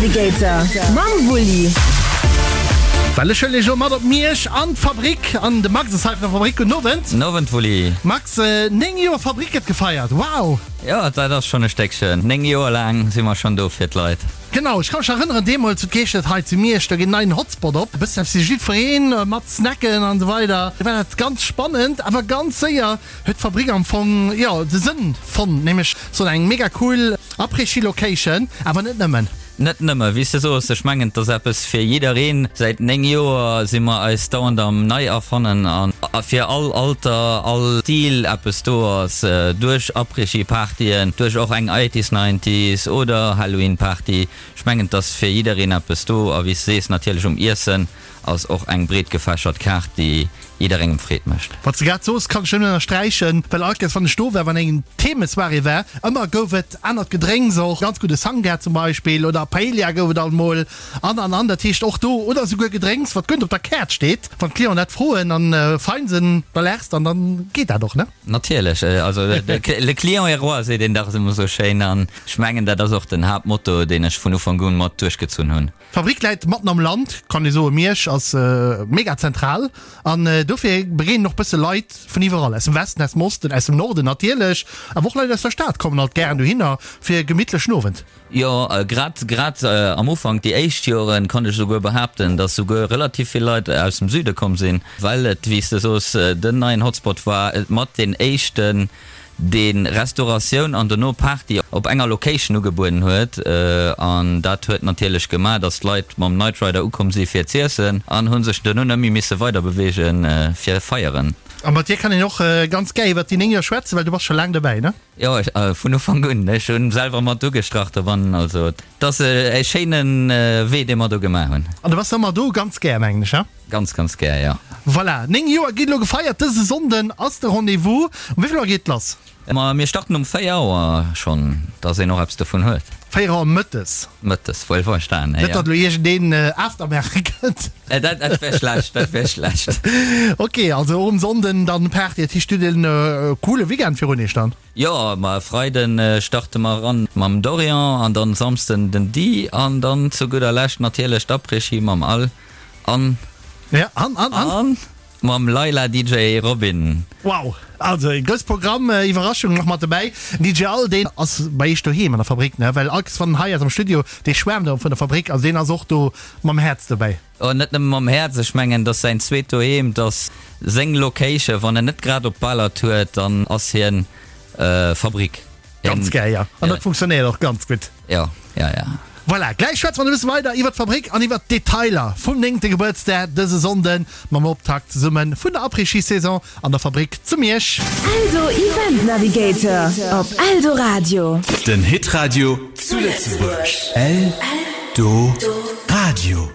Navigator mam Wulli. Well ech huelen iech elo mat op Miersch an d'Fabrik an de Max ass hei vun der Fabrik. Gudden Owend. Nowend Wulli. Max, 9 Joer Fabrik gëtt gefeiert, wow! Jo, dat ass schonn e Stéckchen. 9 Joer laang si mer schonn do fir d'Leit. Genau, ech ka mech erënneren, deemools huet geheescht, et hei zu Miersch, do geet en neien Hotspot op, e bëssen eppes fir jiddwereen, mat Snacken an esou weider. Do war dat ganz spannend, awer ganz séier huet d'Fabrik am Fong, jo, de Sënn fonnt, nämlech sou eng mega cool Après-Ski Location, awer net nëmmen. Net nëmme, wéi s de soos, ech mengen, et ass eppes fir jiddereen. Säit 9 Joer si mer eis dauernd am Neierfannen a fir all Alter, all Stil eppes do ass, duerch Après-Ski-Partyen, duerch och eng Eighties, Nineties oder Halloween-Party. Ech mengen, et ass fir jiddereen eppes do a wéi s de sees, natierlech um Iessen. Ass och eng breet gefächert Kaart, déi jidderengem Freed mécht. Wat s de grad soos, kann ech nëmmen ënnersträichen, well all Kéiers wann ech do war, wann eng Themesoirée war, ëmmer gouf et anert Gedrénks, och ganz gudde Sangria zum Beispill oder Paella gouf et alt mol an an an. Dat heescht och do, oder esouguer Gedrénks wat guer net op der Kaart steet, wann d'Clienten dat froen an fein sinn, da laachs de an dann geet dat och, ne? Natierlech, also le client est roi seet een dach ëmmer esou schéin an ech mengen dat ass och den Haaptmotto, deen ech vun Ufank un mat duerchgezunn hunn. D'Fabrik läit matten am Land, kann ee soen. Miersch ass mega zentral an dofir begéinen och bësse Leit vun iwwerall, aus dem Westen, aus dem Osten, aus dem Norden natierlech, awer och Leit aus der Stad kommen alt gären dohinner fir e gemittlechen Owend. Jo, grad grad am Ufank, déi éischt Joren, konnt ech esouguer behaapten, dass souguer relativ vill Leit aus dem Süde komm sinn, well et, wéi s de soos, den neien Hotspot war, mat deen éischten, dee Restauratioun an dono Party op enger Location ugebueden huet an dat huet natierlech gemaach, dass d'Leit mam Night Rider ukomm si fir z'iessen an hu sech dono net méi misse weider beweege fir feieren. A mat dir kann een och ganz gär iwwert déi 9 Joer schwätzen, well du bass scho laang dobäi, ne? Jo, vun Ufank un. Ech hu selwer mat ugestrach dobannen, also et ass e schéine Wee, dee mer do gemaach hunn. An du bass ëmmer do ganz gär, mengen ech, he? Ganz, ganz gär, jo. Voilà, 9 Joer ginn elo gefeiert. Dëse Sonnden ass de Rendez-vous. Um wéi vill Auer geet et lass? Ma mir starten um 4 Auer schonn, dass een och eppes dovun huet. 4 Auer mëttes? Mëttes, wuel verstan, jo. Net datt elo iergendeen After maache kënnt. Dat wär schlecht, dat wär schlecht. Ok, also och um Sonnden dann Party. Dat heescht, dir hutt en coole Weekend virun iech dann? Jo, ma e Freiden starte mer eran mam Dorian an dann Samsden den Di an dann zu gudder Lescht natierlech d'Après-Ski mam Al. An. Ja, an, an, an. An mam Laila DJ Robin. Wow, also e grousse Programm, Iwwerraschung nach mat dobäi. Den DJ Al, deen ass bei iech doheem an der Fabrik, ne? Well all wann en hei ass am Studio, dee schwäermt ëmmer vun der Fabrik, also deen ass och do mam Häerz dobäi. Oh, net nëmme mam Häerz, ech mengen, et ass säin zweet Doheem, et ass seng Location. Wann en net grad op Baler huet, dann ass hien Fabrik. Ganz gäil, ja. An dat funktionéiert och ganz gutt. Jo, jo, jo. Voilà, gläich schwätze mer e bësse weider iwwer d'Fabrik an iwwer d'Detailer vum néngte Gebuertsdag dëse Sonnden mam Optakt zesumme vun der Après-Ski-Saison an der Fabrik zu Miersch. Eldo Event Navigator op Eldoradio. Den Hitradio zu Lëtzebuerg. Eldoradio.